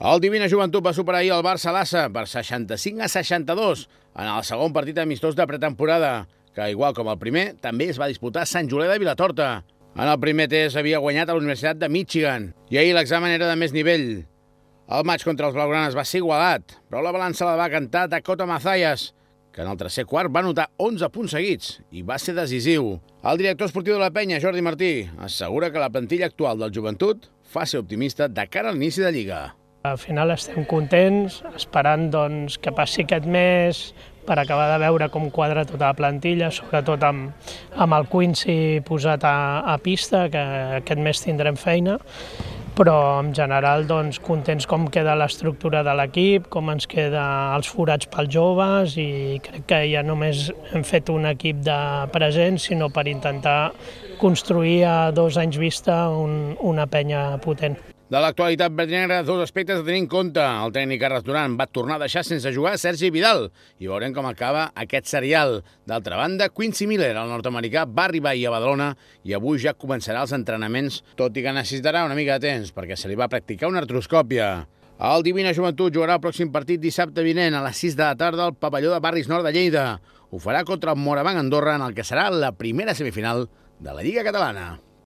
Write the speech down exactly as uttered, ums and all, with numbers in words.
El Divina Joventut va superar ahir el Barça-Lassa per seixanta-cinc a seixanta-dos en el segon partit amistós de pretemporada, que, igual com el primer, també es va disputar a Sant Julià de Vilatorta. En el primer test havia guanyat a la Universitat de Michigan i ahir l'examen era de més nivell. El maig contra els blaugranes va ser igualat, però la balança la va cantar Dakota Mazayas, que en el tercer quart va anotar onze punts seguits i va ser decisiu. El director esportiu de la Penya, Jordi Martí, assegura que la plantilla actual del Joventut fa ser optimista de cara a l'inici de Lliga. Al final estem contents, esperant doncs, que passi aquest mes per acabar de veure com quadra tota la plantilla, sobretot amb, amb el Quincy posat a, a pista, que aquest mes tindrem feina, però en general doncs, contents com queda l'estructura de l'equip, com ens queda els forats pels joves, i crec que ja només hem fet un equip de present, sinó per intentar construir a dos anys vista un, una penya potent. De l'actualitat verdinegre, dos aspectes a tenir en compte. El tècnic Carles Duran va tornar a deixar sense jugar Sergi Vidal i veurem com acaba aquest serial. D'altra banda, Quincy Miller, el nord-americà, va arribar ahir a Badalona i avui ja començarà els entrenaments, tot i que necessitarà una mica de temps perquè se li va practicar una artroscòpia. El Divina Joventut jugarà el pròxim partit dissabte vinent a les sis de la tarda al pavelló de Barris Nord de Lleida. Ho farà contra el Morabanc Andorra en el que serà la primera semifinal de la Lliga Catalana.